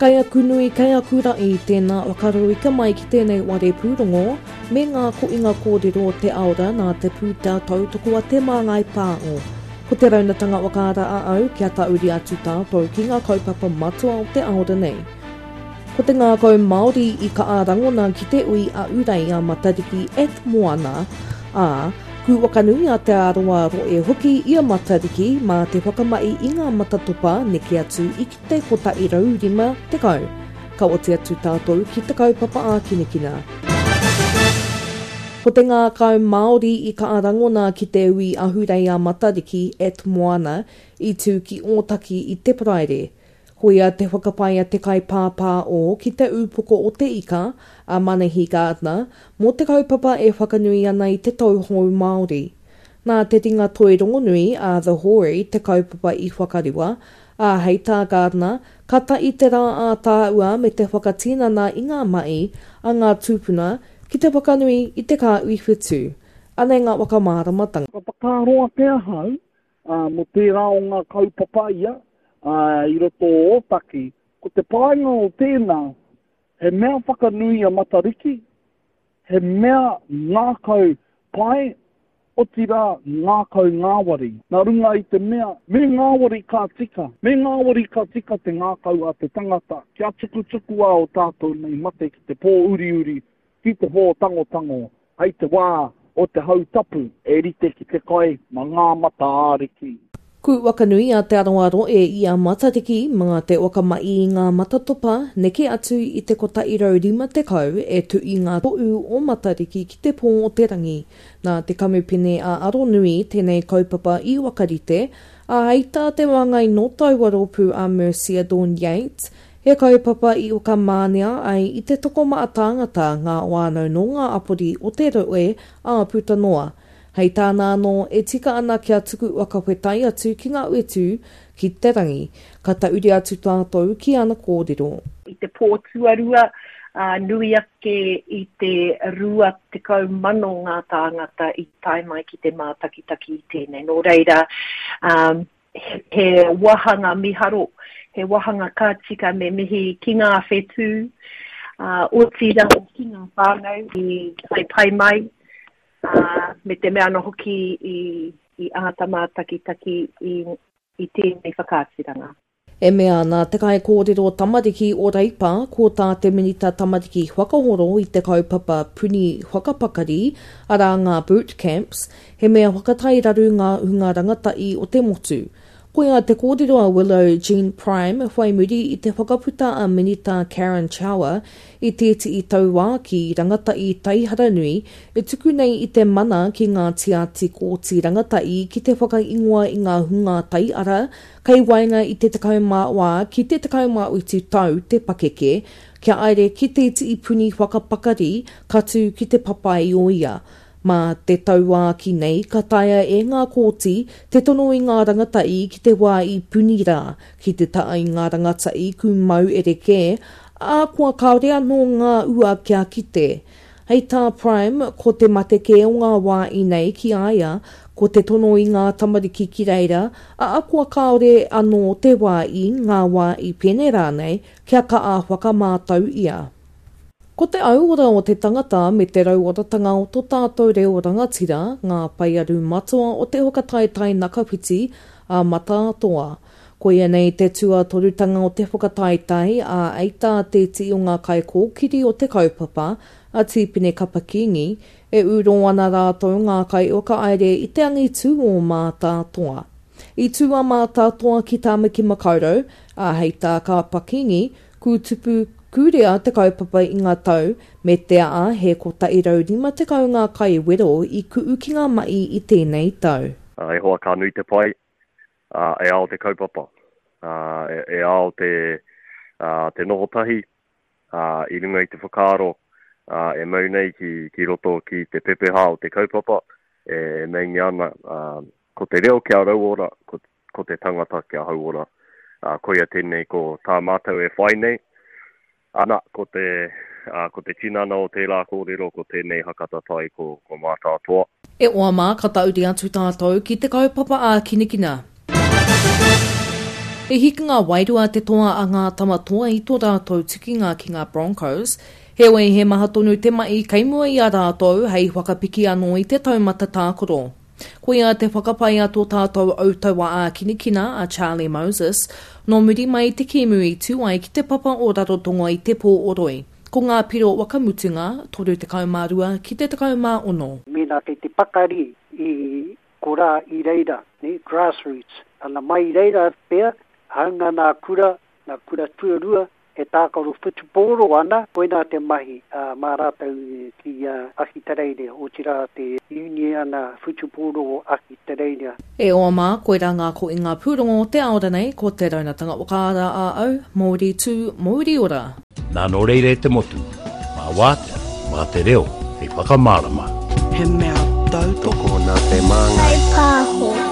Kei aku nui, kei aku raʻi, tēnā whakarauika mai ki tēnei ware pūrongo me ngā koʻinga kōrero o te aora nā te pūtea tautoko a Te Māngai Pāo. Ko te raunatanga whakaara a au kia tauri atu tātou ki ngā kaupapa matua o te aora nei. Ko te ngākau Māori i kaa rangona ki te ui a Urei a Matariki at Moana, ā, kūwakanui a Te Arawa roe hoki i a Matariki mā te whakamahi i ngā matatopa neke atu i te 150, ka oti atu tātou ki te kaupapa ākinakina. Ko te ngākau Māori i kaa rangona ki te ui ahurei a Matariki at Moana i tū ki Ōtaki i te Paraire. Koia te whakapae a te kaipāpā o ki te ūpoko o te ika, a Manahi Gardiner, mō te kaupapa e whakanui ana i te tau hou Māori. Nā te ringa toi rongonui a The Hori te kaupapa i whakariwa, ā, hei tā Gardiner, ka tae te rā ātāua me te whakatinana i ngā mahi a ngā tūpuna ki te whakanui i te kāhui whetū. Anei ngā whakamāramatanga. Ka whakaaro ake ahau mō tērā o ngā kaupapa ia i roto o Ōtaki, ko te painga o tēnā, he mea whakanui a Matariki, He mea ngākau pai, otirā ngākau ngāwari. Nā runga i te mea, me ngāwari ka tika, me ngāwari ka tika te ngākau a te tangata, kia tukutukua o tātou nei mate ki te pō uriuri, ki te pō tangotango, hei te wā o te hau tapu, e rite ki te kai ma ngā mata āriki. Ku wakanui a Te Arawa Roe i a Matariki mā te whakamahi i ngā matatopa neke atu i te 150 e tuʻi ngā toʻu o Matariki ki te pō o te rangi. Nā te kamupene a Aronui tēnei kaupapa i whakarite, ā, hei tā te māngai nō taua rōpū a Mercia Dawn Yates, he kaupapa i whakamānea ai i te tokomaha tāngata ngā whānau nō ngā apori o te rohe ā puta noa. Hei tāna anō, e tika ana kia tuku whakawhetai atu ki ngā whetū, ki te rangi. Ka tauri atu tātou ki ana kōrero. I te pō tuarua, nui ake i te 20,000 ngā tāngata i tae mai ki te mātakitaki i tēnei. Nō reira, he wāhanga miharo, he wāhanga ka tika me mihi ki ngā whetū, otirā ki ngā whānau i tae pai mai, ā, me te mea anō hoki i, i āta mātakitaki i, i tēnei whakaaturanga. E mea ana te kaikōrero tamariki o Reipa ko tā te Minita Tamariki whakahoro i te kaupapa puni whakapakari, arā ngā boot camps, he mea whakatairaru ngā hunga rangatahi o te motu. Koia te kōrero a Willow Jean Prime whai muri i te whakaputa a Minita Karen Chauer i tētihi tauākī rangatahi taihara nui e tuku nei i te mana ki ngā tiati kōti rangatahi ki te whakaingoa i ngā hunga taiara kei waenga i te 14 ki te 17 tau te pakeke kia aere ki tētihi puni whakapakari ka tū ki te Papaioia Mā te tauākī nei ka taea e ngā kōti te tono i ngā rangatahi ki te wā i puni rā, ki te tā i ngā rangatahi kūmau rerekē, ā, kua kāore anō ngā ua kia kite. Hei tā Prime, ko te mate kē o ngā wā i nei ki a ia, ko te tono i ngā tamariki ki reira, ā, kua kāore anō te wā i, ngā wā i pene rānei, kia kaha whakamātau ia. Ko te auora o te tangata me te rauoratanga o to tātou reo rangatira ngā paearu matua o te whakataetae nakawhiti a Mataatoa. Koia nei te tuatorutanga o te whakataetae, ā, ei tā te iti o ngā kaikōkiri o te kaupapa, a Tīpene Kapa Kīngi, e ūrō ana rātou ngā kaiwhakahaere i te angitū o Mātātoa. I tū a Mātātoa ki Tāmaki Makaurau, ā, hei tā Kapa Kīngi, Kūtupu, kūrea te kaupapa i ngā tau, me te aha he 150 ngā kaiwero i ku'u ki ngā mahi i tēnei tau. E hoa ka nui te pai, e ao te kaupapa, e ao te, te noho tahi i runga i te whakaaro e mau nei ki, ki roto ki te pepeha o te kaupapa e meingia ana ko te reo kia rauora, ko ko te tangata kia hauora. Ā, koia tēnei ko tā mātou e whai nei. Ana, ko te, ā, ko te tinana o tērā kōrero ko tēnei hakatatai ko, ko Mātātoa. E oa mā, ka tauri atu tātou ki te kaupapa ākinakina. He hikinga wairua te toa a ngā Tama Toa i tō rātou tukinga ki ngā Broncos, heoi he maha tonu te mahi kei mua i a rātou hei whakapiki anō i te taumata tākaro. Koia te whakapae a tō tātou autaua ākinikina a Charlie Moses, nō muri mai i te kēmu i tū ai ki te papa o Rarotonga i te pō o Roi. Ko ngā piro waka mutunga, 32 ki te 16. Mēnā kei te pakari i korā i reira, nē, grassroots, ana mai i reira pea, hāunga nā kura, nā kura tuarua e tākaro whutupōro ana, koinā te mahi mā rātou ki Ahitereiria, otirā te Uniana Whutupōro o Ahitereiria. E hoa mā, koirā ngā kohinga pūrongo o te ao ranei, ko te raunatanga whakaara a au, Mauri tū, mauri ora! Nā nō reira e te motu, mā wātea, mā te reo hei whakamārama. He mea tautoko. Tokona te māngai. Whai pāho.